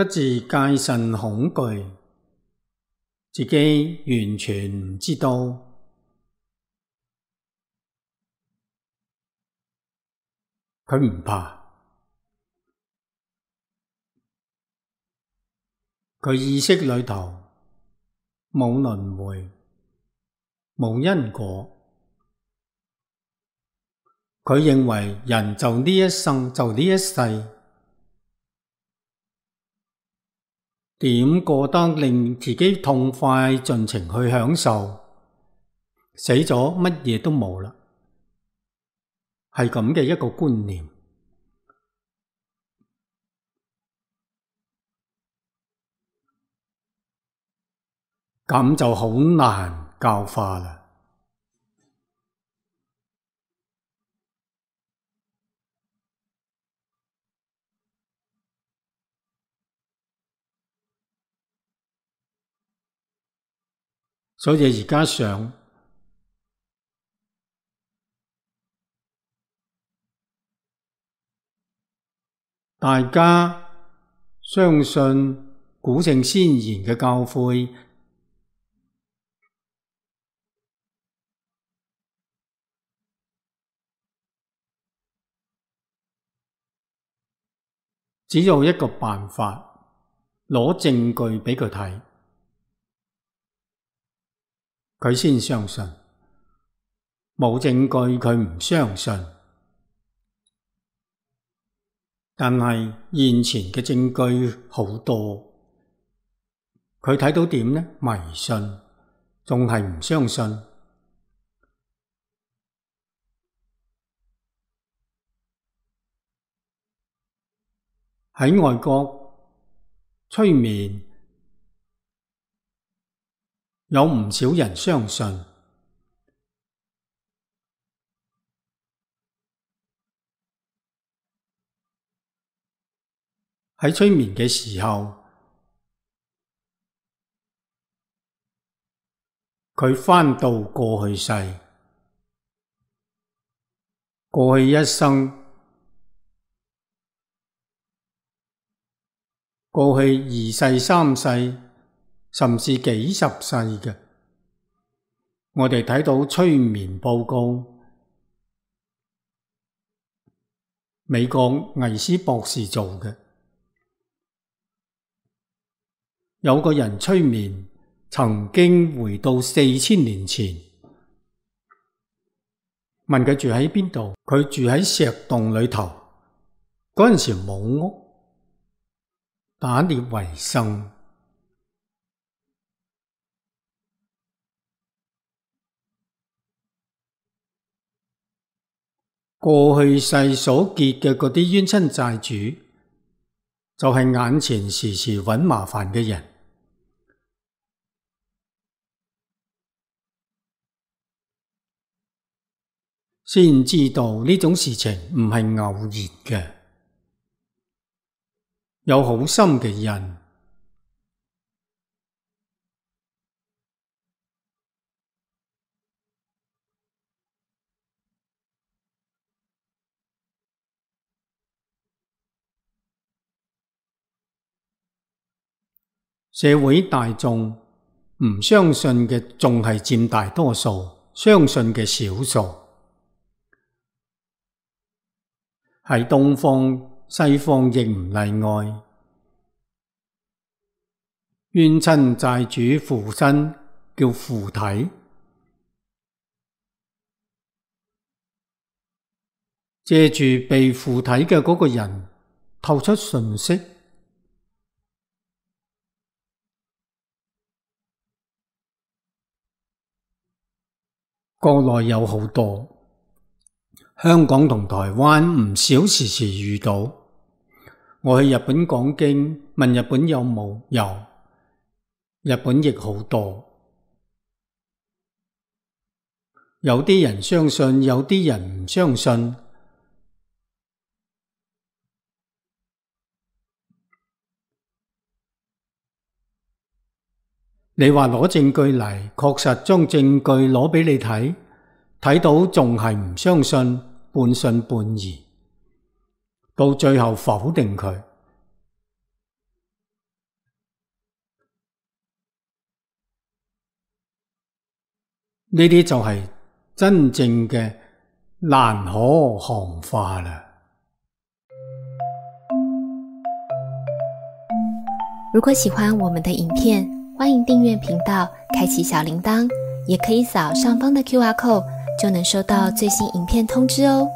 不自戒慎恐懼，自己完全唔知道。佢唔怕，佢意識裏頭冇輪迴，冇因果。佢認為人就呢一生，就呢一世，點過得令自己痛快盡情去享受，死咗乜嘢都冇啦，係咁嘅一個觀念。咁就好難教化啦。所以而家想大家相信古聖先賢嘅教誨，只有一個辦法，攞證據畀佢睇，佢先相信。冇證據佢唔相信。但係現前嘅證據好多，佢睇到點呢？迷信，仲係唔相信。喺外國催眠，有唔少人相信。喺催眠嘅時候，佢返到過去世，過去一生，過去2世、3世，甚至幾十世嘅，我哋睇到催眠報告，美國魏斯博士做嘅。有個人催眠，曾經回到4000年前，問佢住喺邊度，佢住喺石洞裏頭。嗰陣時冇屋，打獵為生。過去世所結嘅嗰啲冤親債主，就係眼前時時搵麻煩嘅人。先知道呢種事情唔係偶然嘅，有好深嘅因。社會大眾唔相信嘅仲係佔大多數，相信嘅少數。喺東方、西方亦唔例外。冤親債主附身叫附體，借住被附體嘅嗰個人透出訊息。國內有好多，香港同台灣唔少時時遇到。我去日本講經，問日本有冇？有。日本亦好多。有啲人相信，有啲人唔相信。你話攞證據嚟，確實將證據攞畀你睇，睇到仲係唔相信，半信半疑，到最後否定佢。呢啲就係真正嘅蘭可行化啦。如果喜歡我們的影片，歡迎訂閱頻道，開啟小鈴鐺，也可以掃上方的QR code，就能收到最新影片通知哦。